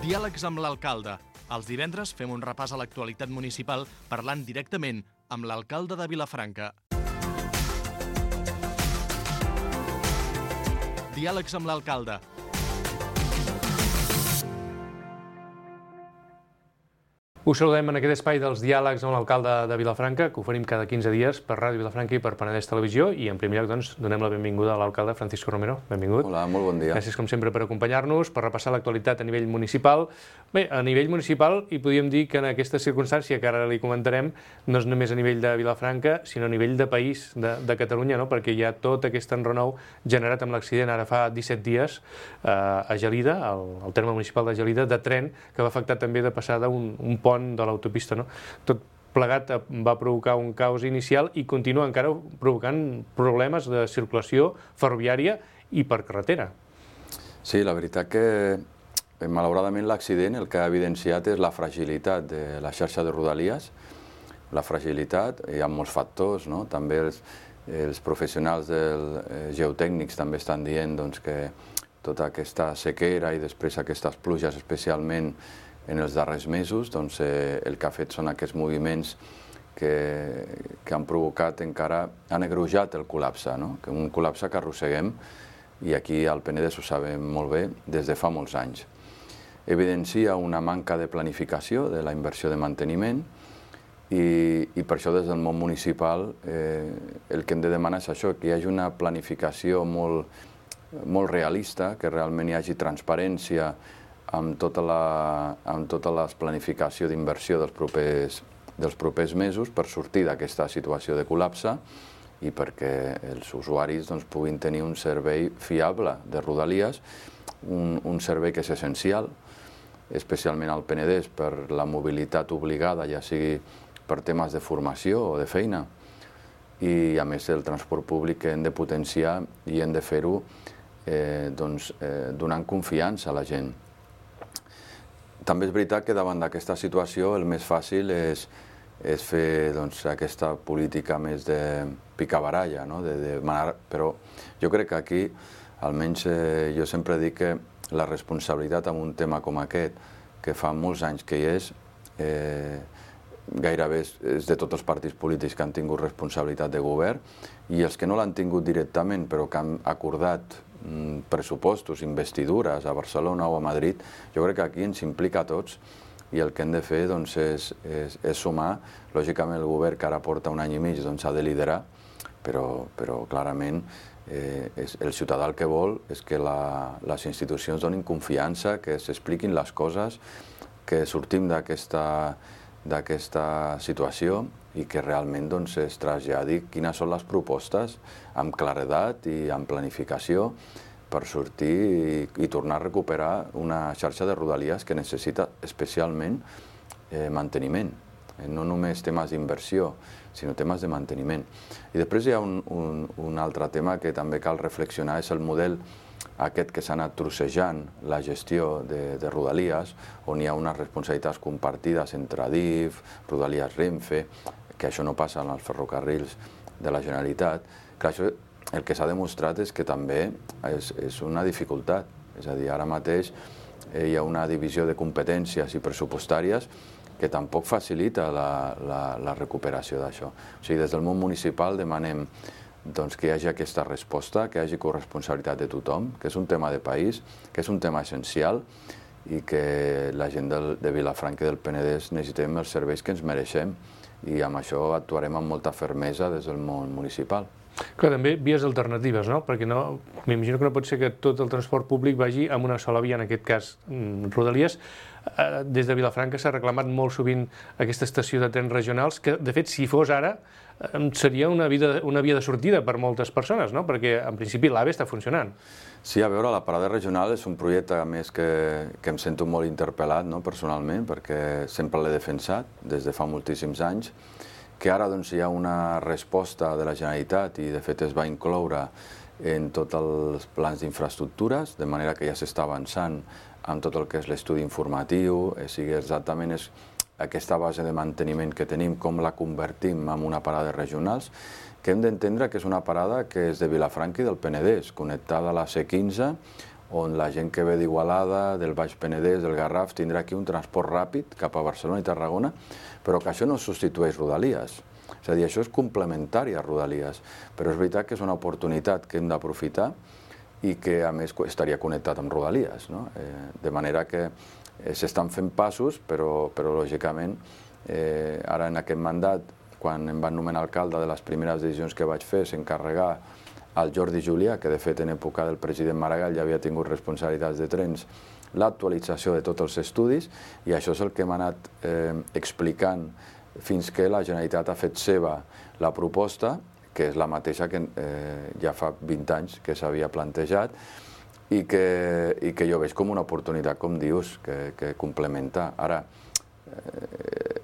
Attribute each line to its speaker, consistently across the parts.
Speaker 1: Diàlegs amb l'alcalde. Els divendres fem un repàs a l'actualitat municipal parlant directament amb l'alcalde de Vilafranca. Diàlegs amb l'alcalde.
Speaker 2: Us saludem en aquest espai dels diàlegs amb l'alcalde de Vilafranca, que oferim cada 15 dies per Ràdio Vilafranca i per Penedès Televisió. I en primer lloc, doncs, donem la benvinguda a l'alcalde Francisco Romero. Benvingut.
Speaker 3: Hola, molt bon dia.
Speaker 2: Gràcies, com sempre, per acompanyar-nos, per repassar l'actualitat a nivell municipal. Bé, a nivell municipal, i podríem dir que en aquesta circumstància, que ara li comentarem, no és només a nivell de Vilafranca, sinó a nivell de país, de Catalunya, no? Perquè hi ha tot aquest enrenou generat amb l'accident ara fa 17 dies a Gelida, al terme municipal de Gelida, de tren, que va afectar també de passada un pont de l'autopista, no? Tot plegat va provocar un caos inicial i continua encara provocant problemes de circulació ferroviària i per carretera.
Speaker 3: Sí, la veritat que malauradament l'accident el que ha evidenciat és la fragilitat de la xarxa de Rodalies. La fragilitat, hi ha molts factors, no? També els professionals geotècnics també estan dient que tota aquesta sequera i després aquestes pluges especialment en els darrers mesos, el que ha fet són aquests moviments que han provocat encara, han agreujat el col·lapse, un col·lapse que arrosseguem, i aquí al Penedès ho sabem molt bé, des de fa molts anys. Evidencia una manca de planificació de la inversió de manteniment i per això des del món municipal el que hem de demanar és això, que hi hagi una planificació molt realista, que realment hi hagi transparència amb tota la planificació d'inversió dels propers mesos per sortir d'aquesta situació de col·lapse i perquè els usuaris puguin tenir un servei fiable de Rodalies, un servei que és essencial, especialment al Penedès per la mobilitat obligada, ja sigui per temes de formació o de feina, i a més el transport públic que hem de potenciar i hem de fer-ho donant confiança a la gent. També és veritat que davant d'aquesta situació el més fàcil és fer aquesta política més de picabaralla, però jo crec que aquí, almenys jo sempre dic que la responsabilitat en un tema com aquest, que fa molts anys que hi és, gairebé és de tots els partits polítics que han tingut responsabilitat de govern i els que no l'han tingut directament però que han acordat pressupostos, investidures a Barcelona o a Madrid, jo crec que aquí ens implica a tots i el que hem de fer és sumar. Lògicament el govern que ara porta un any i mig ha de liderar, però clarament el ciutadà el que vol és que les institucions donin confiança, que s'expliquin les coses, que sortim d'aquesta situació i que realment es traslladi quines són les propostes amb claredat i amb planificació per sortir i tornar a recuperar una xarxa de Rodalies que necessita especialment manteniment, no només temes d'inversió, sinó temes de manteniment. I després hi ha un altre tema que també cal reflexionar, és el model aquest que s'ha anat trossejant la gestió de Rodalies, on hi ha unes responsabilitats compartides entre Adif, Rodalies Renfe, que això no passa en els ferrocarrils de la Generalitat. Clar, això el que s'ha demostrat és que també és una dificultat. És a dir, ara mateix hi ha una divisió de competències i pressupostàries que tampoc facilita la recuperació d'això. O sigui, des del món municipal demanem que hi hagi aquesta resposta, que hi hagi corresponsabilitat de tothom, que és un tema de país, que és un tema essencial i que la gent de Vilafranca i del Penedès necessitem els serveis que ens mereixem i amb això actuarem amb molta fermesa des del món municipal.
Speaker 2: Clar, també vies alternatives, no? Perquè m'imagino que no pot ser que tot el transport públic vagi amb una sola via, en aquest cas Rodalies. Des de Vilafranca s'ha reclamat molt sovint aquesta estació de trens regionals, que de fet si fos ara seria una via de sortida per moltes persones, no? Perquè en principi l'AVE està funcionant.
Speaker 3: Sí, a veure, la parada regional és un projecte a més que em sento molt interpel·lat personalment, perquè sempre l'he defensat des de fa moltíssims anys, que ara hi ha una resposta de la Generalitat i de fet es va incloure en tots els plans d'infraestructures, de manera que ja s'està avançant amb tot el que és l'estudi informatiu, sigui exactament aquesta base de manteniment que tenim, com la convertim en una parada regionals, que hem d'entendre que és una parada que és de Vilafranca i del Penedès, connectada a la C15, on la gent que ve d'Igualada, del Baix Penedès, del Garraf, tindrà aquí un transport ràpid cap a Barcelona i Tarragona, però que això no substitueix Rodalies. És a dir, això és complementari a Rodalies, però és veritat que és una oportunitat que hem d'aprofitar i que, a més, estaria connectat amb Rodalies, no? De manera que s'estan fent passos, però lògicament, ara en aquest mandat, quan em van nomenar alcalde, de les primeres decisions que vaig fer, s'encarregar al Jordi Julià, que de fet en època del president Maragall ja havia tingut responsabilitats de trens, l'actualització de tots els estudis, i això és el que hem anat explicant fins que la Generalitat ha fet seva la proposta, que és la mateixa que ja fa 20 anys que s'havia plantejat, i que jo veig com una oportunitat, com dius, que complementa. Ara,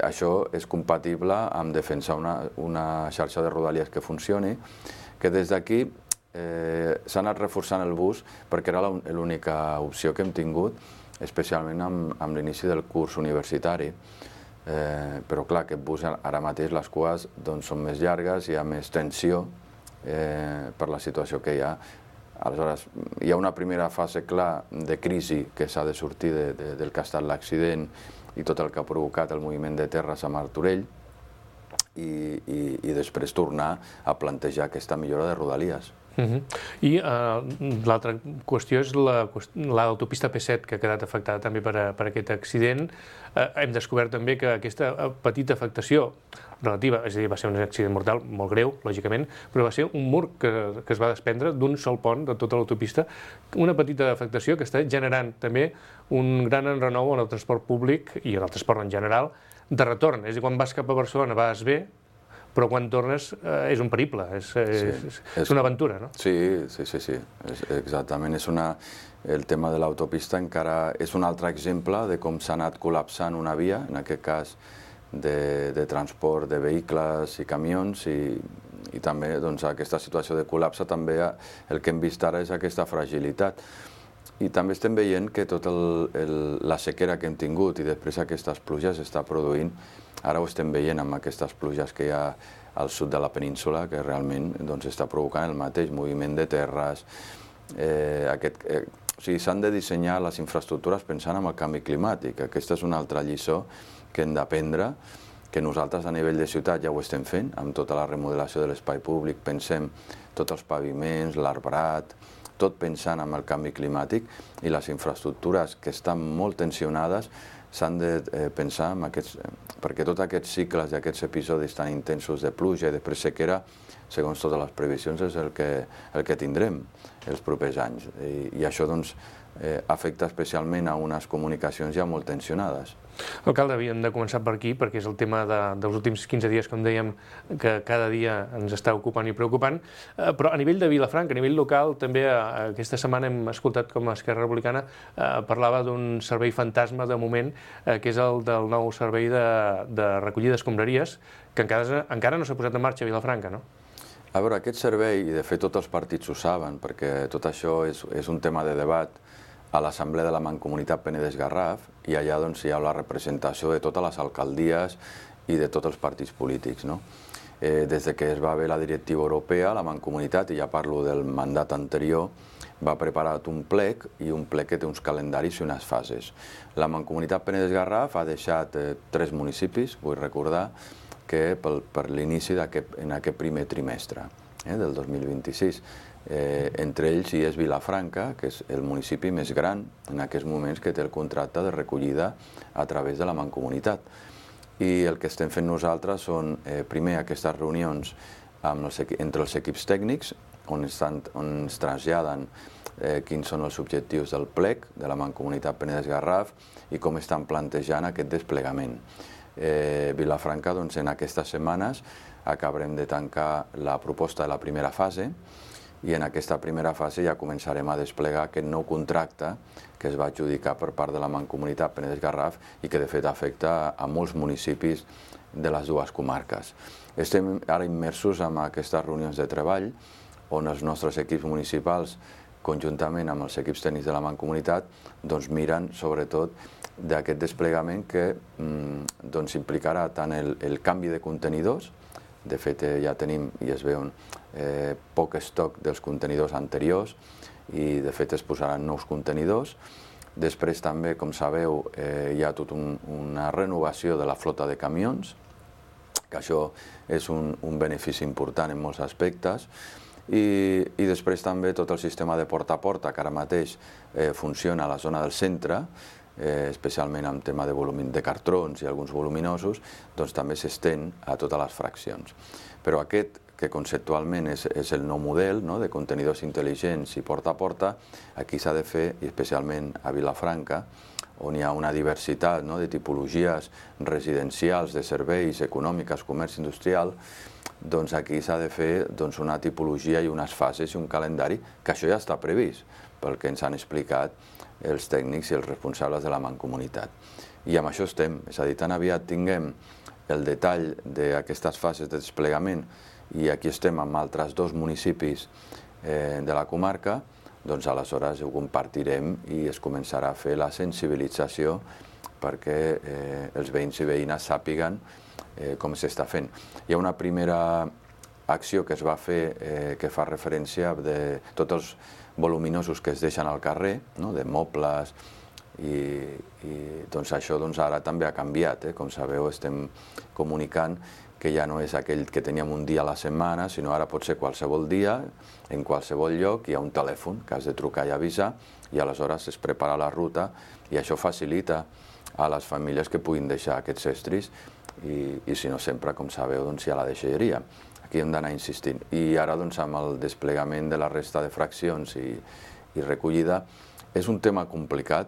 Speaker 3: això és compatible amb defensar una xarxa de Rodalies que funcioni, que des d'aquí s'ha anat reforçant el bus perquè era l'única opció que hem tingut, especialment amb l'inici del curs universitari. Però clar, aquest bus ara mateix les cues són més llargues, hi ha més tensió per la situació que hi ha. Aleshores, hi ha una primera fase, clar, de crisi que s'ha de sortir del que ha estat l'accident i tot el que ha provocat el moviment de terres a Martorell, i després tornar a plantejar aquesta millora de Rodalies.
Speaker 2: I l'altra qüestió és l'autopista P7, que ha quedat afectada també per aquest accident. Hem descobert també que aquesta petita afectació relativa, és a dir, va ser un accident mortal molt greu, lògicament, però va ser un mur que es va desprendre d'un sol pont de tota l'autopista, una petita afectació que està generant també un gran enrenou en el transport públic i en el transport en general de retorn. És a dir, quan vas cap a Barcelona vas bé, però quan tornes és un periple, és una aventura, no?
Speaker 3: Sí, exactament. El tema de l'autopista encara és un altre exemple de com s'ha anat col·lapsant una via, en aquest cas de transport de vehicles i camions, i també aquesta situació de col·lapse, també el que hem vist ara és aquesta fragilitat. I també estem veient que tota la sequera que hem tingut i després aquestes pluges s'està produint, ara ho estem veient amb aquestes pluges que hi ha al sud de la península, que realment està provocant el mateix moviment de terres. O sigui, s'han de dissenyar les infraestructures pensant en el canvi climàtic. Aquesta és una altra lliçó que hem d'aprendre, que nosaltres a nivell de ciutat ja ho estem fent, amb tota la remodelació de l'espai públic, pensem tots els paviments, l'arbrat, tot pensant en el canvi climàtic, i les infraestructures que estan molt tensionades s'han de pensar en aquests, perquè tots aquests cicles i aquests episodis tan intensos de pluja i després sequera, segons totes les previsions, és el que tindrem els propers anys. I això afecta especialment a unes comunicacions ja molt tensionades.
Speaker 2: Alcalde, havíem de començar per aquí, perquè és el tema dels últims 15 dies, com dèiem, que cada dia ens està ocupant i preocupant, però a nivell de Vilafranca, a nivell local, també aquesta setmana hem escoltat com Esquerra Republicana parlava d'un servei fantasma de moment, que és el del nou servei de recollida d'escombraries, que encara no s'ha posat en marxa a Vilafranca, no?
Speaker 3: A veure, aquest servei, i de fet tots els partits ho saben, perquè tot això és un tema de debat a l'Assemblea de la Mancomunitat Penedès-Garraf, i allà hi ha la representació de totes les alcaldies i de tots els partits polítics. Des que es va haver la directiva europea, la Mancomunitat, i ja parlo del mandat anterior, va preparar un plec, i un plec que té uns calendaris i unes fases. La Mancomunitat Penedès-Garraf ha deixat 3 municipis, vull recordar, que per l'inici en aquest primer trimestre del 2026. Entre ells hi és Vilafranca, que és el municipi més gran en aquests moments que té el contracte de recollida a través de la Mancomunitat. I el que estem fent nosaltres són, primer, aquestes reunions entre els equips tècnics, on ens traslladen quins són els objectius del plec de la Mancomunitat Penedès-Garraf i com estan plantejant aquest desplegament. Vilafranca, en aquestes setmanes, acabarem de tancar la proposta de la primera fase, i en aquesta primera fase ja començarem a desplegar aquest nou contracte que es va adjudicar per part de la Mancomunitat Penedès-Garraf i que de fet afecta a molts municipis de les dues comarques. Estem ara immersos en aquestes reunions de treball on els nostres equips municipals, conjuntament amb els equips tècnics de la Mancomunitat, miren sobretot d'aquest desplegament que implicarà tant el canvi de contenidors. De fet, ja tenim i es veu poc estoc dels contenidors anteriors, i de fet es posaran nous contenidors. Després també, com sabeu, hi ha tota una renovació de la flota de camions, que això és un benefici important en molts aspectes, i després també tot el sistema de porta a porta, que ara mateix funciona a la zona del centre, especialment amb tema de cartrons i alguns voluminosos, doncs també s'estén a totes les fraccions. Però aquest, que conceptualment és el nou model de contenidors intel·ligents i porta a porta, aquí s'ha de fer, i especialment a Vilafranca, on hi ha una diversitat de tipologies residencials, de serveis, econòmiques, comerç industrial, doncs aquí s'ha de fer una tipologia i unes fases i un calendari, que això ja està previst, pel que ens han explicat els tècnics i els responsables de la Mancomunitat. I amb això estem, és a dir, tan aviat tinguem el detall d'aquestes fases de desplegament, i aquí estem amb altres 2 municipis de la comarca, doncs aleshores ho compartirem i es començarà a fer la sensibilització perquè els veïns i veïnes sàpiguen com s'està fent. Hi ha una primera acció que es va fer que fa referència de tots els voluminosos que es deixen al carrer, de mobles, i doncs això ara també ha canviat. Com sabeu, estem comunicant que ja no és aquell que teníem un dia a la setmana, sinó ara pot ser qualsevol dia, en qualsevol lloc, hi ha un telèfon que has de trucar i avisar, i aleshores es prepara la ruta, i això facilita a les famílies que puguin deixar aquests estris, i si no sempre, com sabeu, hi ha la deixalleria. Aquí hem d'anar insistint. I ara, amb el desplegament de la resta de fraccions i recollida, és un tema complicat.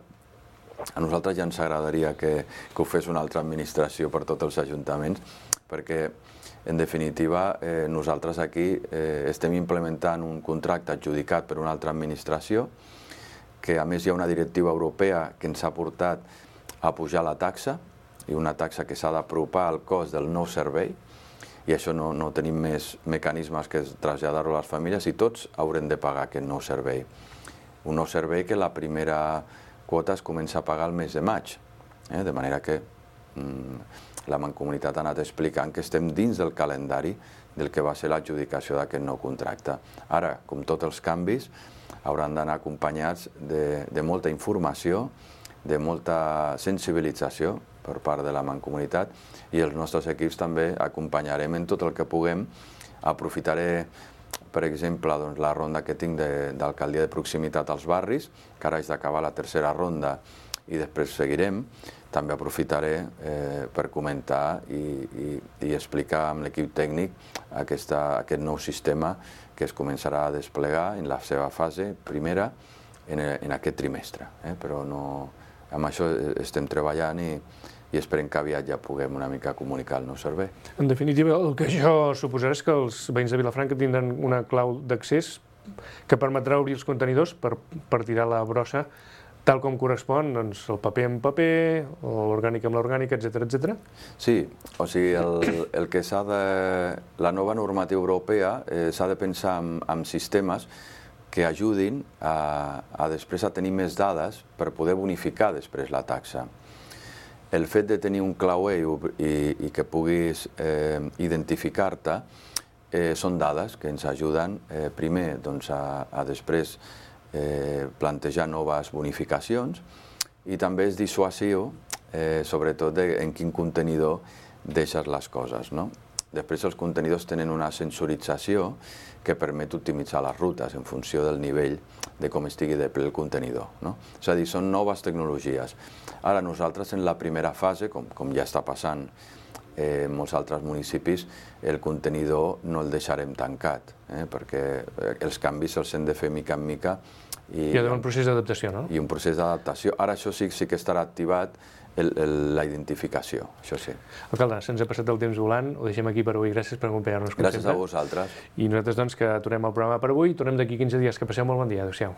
Speaker 3: A nosaltres ja ens agradaria que ho fes una altra administració per tots els ajuntaments, perquè, en definitiva, nosaltres aquí estem implementant un contracte adjudicat per una altra administració, que a més hi ha una directiva europea que ens ha portat a pujar la taxa, i una taxa que s'ha d'apropar al cost del nou servei, i això no tenim més mecanismes que traslladar-ho a les famílies, i tots haurem de pagar aquest nou servei. Un nou servei que la primera quota es comença a pagar el mes de maig, de manera que la Mancomunitat ha anat explicant que estem dins del calendari del que va ser l'adjudicació d'aquest nou contracte. Ara, com tots els canvis, hauran d'anar acompanyats de molta informació, de molta sensibilització per part de la Mancomunitat, i els nostres equips també acompanyarem en tot el que puguem. Aprofitaré, per exemple, la ronda que tinc d'alcaldia de proximitat als barris, que ara haig d'acabar la tercera ronda i després seguirem. També aprofitaré per comentar i explicar amb l'equip tècnic aquest nou sistema que es començarà a desplegar en la seva fase primera en aquest trimestre. Però amb això estem treballant i esperem que aviat ja puguem una mica comunicar el nou servei.
Speaker 2: En definitiva, el que això suposarà és que els veïns de Vilafranca tindran una clau d'accés que permetrà obrir els contenidors per tirar la brossa tal com correspon, doncs el paper amb paper, l'orgànic amb l'orgànic, etc.
Speaker 3: Sí, o sigui, el que la nova normativa europea s'ha de pensar en sistemes que ajudin a després a tenir més dades per poder bonificar després la taxa. El fet de tenir un clauer i que puguis identificar-te són dades que ens ajuden primer a després plantejar noves bonificacions, i també és dissuasiu, sobretot en quin contenidor deixes les coses. Després els contenidors tenen una sensorització que permet optimitzar les rutes en funció del nivell de com estigui de ple el contenidor. És a dir, són noves tecnologies. Ara nosaltres en la primera fase, com ja està passant en molts altres municipis, el contenidor no el deixarem tancat, perquè els canvis se'ls hem de fer mica en mica.
Speaker 2: Hi ha un procés d'adaptació, no?
Speaker 3: I un procés d'adaptació. Ara això sí que estarà activat, la identificació, això sí.
Speaker 2: Alcalde, se'ns ha passat el temps volant, ho deixem aquí per avui. Gràcies per acompanyar-nos.
Speaker 3: Gràcies a vosaltres.
Speaker 2: I nosaltres, doncs, que aturem el programa per avui. Tornem d'aquí 15 dies. Que passeu molt bon dia. Adéu-siau.